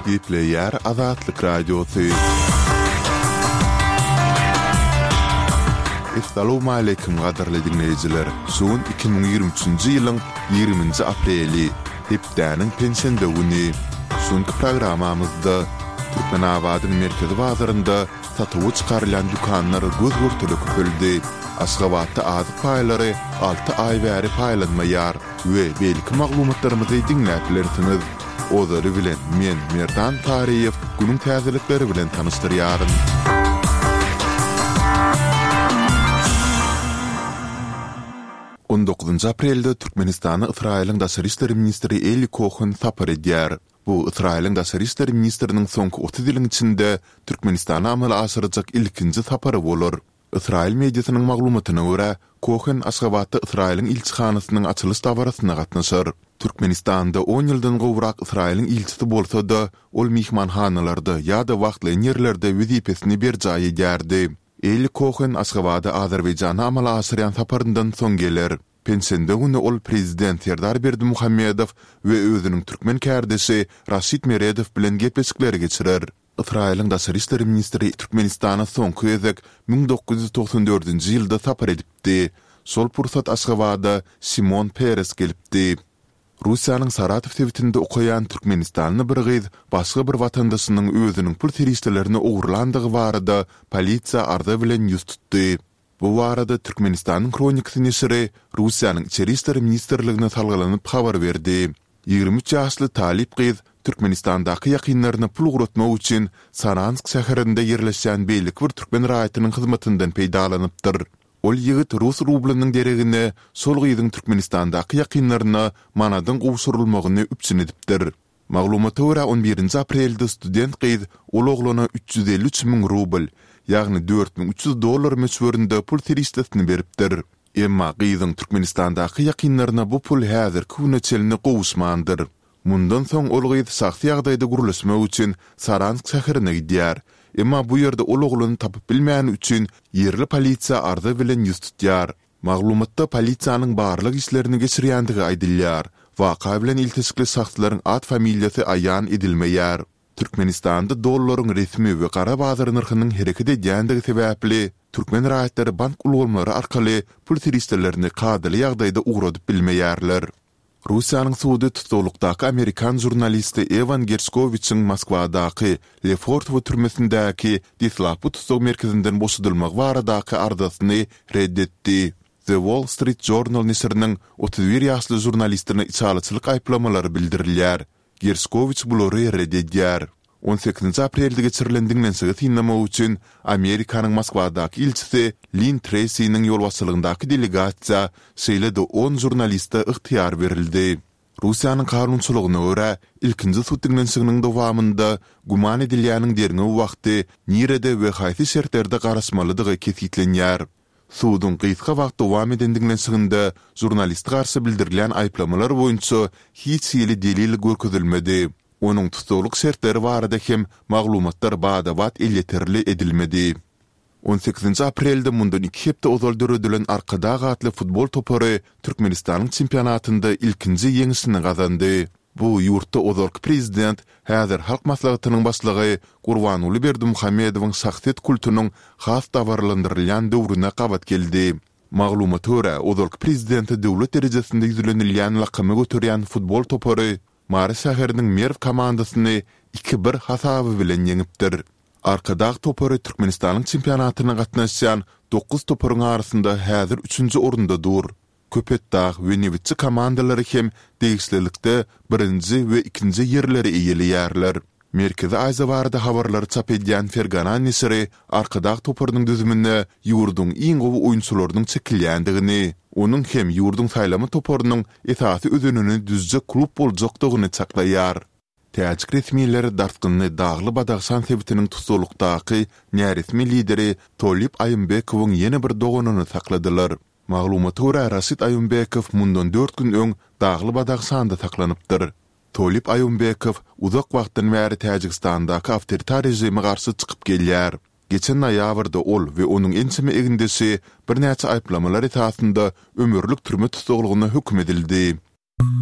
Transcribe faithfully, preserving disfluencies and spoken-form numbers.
Gepleýär Azatlyk Radiosy. Essalawmaleýkim gadyrly diňleýjiler! Şu gün iki müň ýigrimi üçünji ýylyň ýigriminji apreli, hepdäniň penşenbe güni. Şu günki programmamyzda Türkmenabadyň merkezi bazarynda satuwa çykarylýan dükanlar göz-görtele köpeldi. Aşgabatda azyk paýlary alty aý bäri paýlanmaýar we beýleki maglumatlarymyzy diňläp bilersiňiz. Ozaly bilen men, Merdan Taryýew, günüň täzelikleri bilen tanyşdyrýaryn. On dokuzynjy aprelde Türkmenistana Ysraýylyň daşary işler ministri Eli Kohen sapar edýär. Bu Ysraýylyň daşary işler ministriniň soňky otuz ýylyň içinde Türkmenistana amala aşyrjak ilkinji sapary bolar. Ysraýyl mediasynyň maglumatyna görä, Kohen Aşgabatda Ysraýylyň ilçihanasynyň açylyş dabarasyna gatnaşar. Türkmenistanda on ýyldan gowrak Ysraýylyň ilçisi bolsa-da, ol myhmanhanalarda ýa-da wagtlaýyn ýerlerde wezipesini berjaý edýärdi. Eli Kohen Aşgabada Azerbaýjana amala aşyrýan saparyndan soň geler. Penşenbe güni ol prezident Serdar Berdimuhamedow we özüniň türkmen kärdeşi Raşid Meredow bilen gepleşikleri geçirer. Ysraýylyň daşary işler ministri Türkmenistana soňky gezek müň dokuz ýüz togsan dördünji ýylda sapar edipdi. Şol pursat Aşgabada Şimon Peres gelipdi. Russiýanyň Saratow sebitinde okaýan türkmenistanly bir gyz başga bir watandaşynyň özüniň pul serişdelerini ogurlandygy barada polisiýa arza bilen ýüz tutdy. Bu barada Türkmenistanyň Hronikasy neşiri Russiýanyň Içeri işler ministrligine salgylanyp habar berdi. Ýigrimi üç ýaşly talyp gyz Türkmenistandaky ýakynlaryna pul ugratmak üçin Saransk şäherinde ýerleşýän beýleki bir türkmen raýatynyň hyzmatyndan peýdalanypdyr. Ol ýigit rus rublynyň deregine şol gyzyň Türkmenistandaky ýakynlaryna manadyň gowşurylmagyny üpjün edipdir. Maglumata görä, on birinji aprelde student gyz ol oglana üç ýüz elli üç müň rubl, ýagny dört müň üç ýüz dollar möçberinde pul serişdesini beripdir. Emma gyzyň Türkmenistandaky ýakynlaryna bu pul häzirki güne çenli gowuşmandyr. Mundan soň ol gyz şahsy ýagdaýda gürleşmek üçin Saransk şäherine gidýär. Emma bu ýerde ol oglany tapyp bilmäni üçin ýerli polisiýa arza bilen ýüz tutýar. Maglumatda polisiýanyň barlag işlerini geçirýändigi aýdylýar. Waka bilen ilteşikli şahslaryň at-familiýasy aýan edilmeýär. Türkmenistanda dollaryň resmi we gara bazar nyrhynyň hereket edýändigi sebäpli, türkmen raýatlary bank ulgamlary arkaly pul serişdelerini kadaly ýagdaýda ugradyp bilmeýärler. Russiýanyň sudy tussaglykdaky amerikan žurnalisti Ewan Gerşkowiçiň Moskwadaky Lefortowo türmesindäki deslapky tussag merkezinden boşadylmagy baradaky arzasyny ret etdi. The Wall Street Journal neşiriniň otuz bir ýaşly žurnalistine içalyçylyk aýyplamalary bildirilýär. Gerşkowiç bulary ret edýär. On sekizinji aprelde geçirilen diňlenişigi synlamak üçin Amerikanyň Moskwadaky ilçisi Linn Treýsiniň ýolbaşçylygyndaky delegasiýa, şeýle-de on žurnaliste ygtyýar berildi. Russiýanyň kanunçylygyna görä, ilkinji sud diňlenişiginiň dowamynda güman edilýäniň derňew wagty nirede we haýsy şertlerde garaşmalydygy kesgitlenýär. Suduň gysga wagt dowam eden diňlenişiginde žurnaliste garşy bildirilýän aýyplamalar boýunça hiç hili delil görkezilmedi. Onuň tussaglyk şertleri barada hem maglumatlar bada-bat elýeterli edilmedi. On sekizinji aprelde mundan iki hepde ozal döredilen Arkadag atly futbol topary Türkmenistanyň çempionatynda ilkinji ýeňşini gazandy. Bu ýurtda ozalky prezident, häzir Halk Maslahatynyň başlygy Gurbanguly Berdimuhamedowyň şahsyýet kultunyň has dabaralandyrylýan döwrüne gabat geldi. Maglumata görä, ozalky prezidente döwlet derejesinde ýüzlenilýän lakamy göterýän futbol topary Mary şäheriniň Merw komandasyny iki bir hasaby bilen ýeňipdir. Arkadag topary Türkmenistanyň çempionatyna gatnaşýan dokuz toparyň arasynda häzir üçünji orunda dur. Köpetdag we Nebitçi komandalary hem degişlilikde birinji we ikinji ýerleri eýeleýärler. Merkezi Aziýa barada habarlary çap edýän Fergana neşiri Arkadag toparynyň düzümine ýurduň iň gowy oýunçylarynyň çekilýändigini, onuň hem ýurduň saýlama toparynyň esasy özenini düzjek klub boljakdygyny çaklaýar. Täjik resmileri dartgynly Dagly-Badahşan sebitiniň tussaglykdaky näresmi lideri Tolib Aýymbekowyň ýene bir doganyny sakladylar. Maglumata görä, Raşid Aýymbekow mundan dört gün öň Dagly-Badahşanda saklanypdyr. Tolib Aýymbekow uzak wagtdan bäri Täjigistandaky awtoritar režime garşy çykyp gelýär. Geçen noýabrda ol we onuň ençeme egindeşi birnäçe aýyplamalar esasynda ömürlik türme tussaglygyna höküm edildi.